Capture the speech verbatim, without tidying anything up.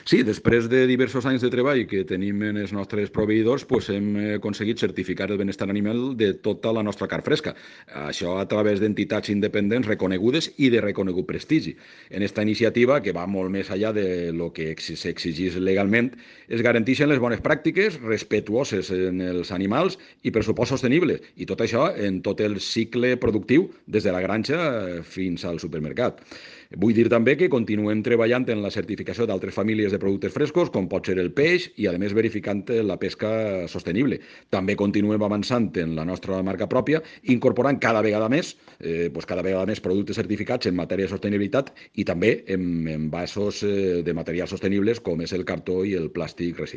Sí, després de diversos anys de treball que tenim en els nostres proveïdors, pues hem aconseguit certificar el benestar animal de tota la nostra carn fresca. Això a través d'entitats independents reconegudes i de reconegut prestigi. En esta iniciativa, que va molt més allà de lo que s'exigís legalment, es garanteixen les bones pràctiques, respetuoses en els animals i pressupost sostenible. I tot això en tot el cicle productiu, des de la granja fins al supermercat. Vull dir també que continuem treballant en la certificació d'altres famílies de productes frescos, com pot ser el peix, i a més verificant la pesca sostenible. També continuem avançant en la nostra marca pròpia, incorporant cada vegada més, eh, pues cada vegada més productes certificats en matèria de sostenibilitat i també en envasos eh, de materials sostenibles com és el cartó i el plàstic reciclat.